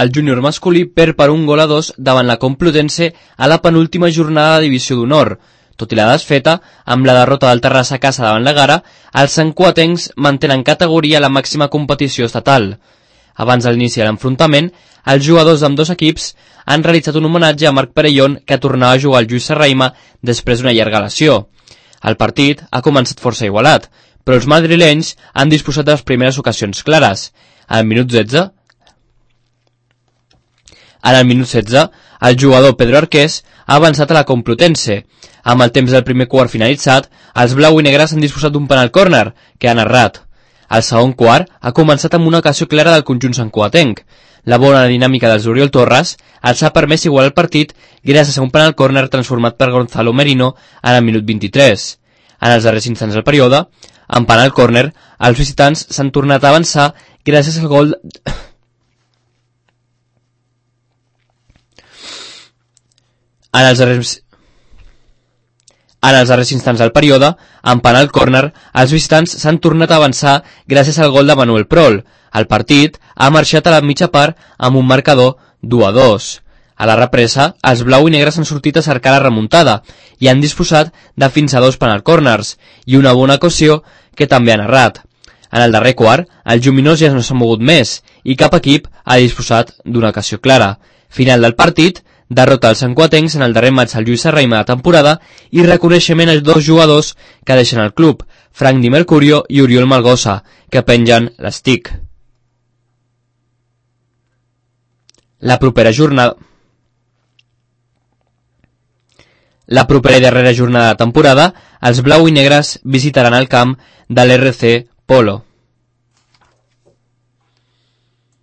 el júnior masculí perd per 1-2 davant la Complutense a la penúltima jornada de divisió d'honor. Tot i la desfeta, amb la derrota del Terrassa a casa davant la Gara, els santcuatencs mantenen categoria a la màxima competició estatal. Abans de l'inici de l'enfrontament, els jugadors d'ambdós equips han realitzat un homenatge a Marc Perellón, que tornava a jugar al Lluís Serrahima després d'una llarga lesió. El partit ha començat força igualat, però els madrilenys han disposat de les primeres ocasions clares. En el minut 16, el jugador Pedro Arqués ha avançat a la Complutense. Amb el temps del primer quart finalitzat, els blau i negres han disposat d'un penal córner, que han errat. El segon quart ha començat amb una ocasió clara del conjunt santcuatenc. La bona dinàmica dels Oriol Torres els ha permès igualar el partit gràcies a un penal córner transformat per Gonzalo Merino en el minut 23. En els darrers instants del període, en penal córner, els visitants s'han tornat a avançar gràcies al gol... En els darrers instants del període, en penal córner, els visitants s'han tornat a avançar gràcies al gol de Manuel Prol. El partit ha marxat a la mitja part amb un marcador 2-2. A la represa, els blau i negres han sortit a cercar la remuntada i han disposat de fins a 2 penal corners i una bona ocasió que també han errat. En el darrer quart, el Lluminós ja no s'ha mogut més i cap equip ha disposat d'una ocasió clara. Final del partit, derrota als santcuatencs en el darrer maig al Lluís Serrahima de temporada i reconeixement als 2 jugadors que deixen el club, Frank Di Mercurio i Oriol Malgosa, que pengen l'estic. La propera i darrera jornada de temporada, els blau i negres visitaran el camp de l'RC Polo.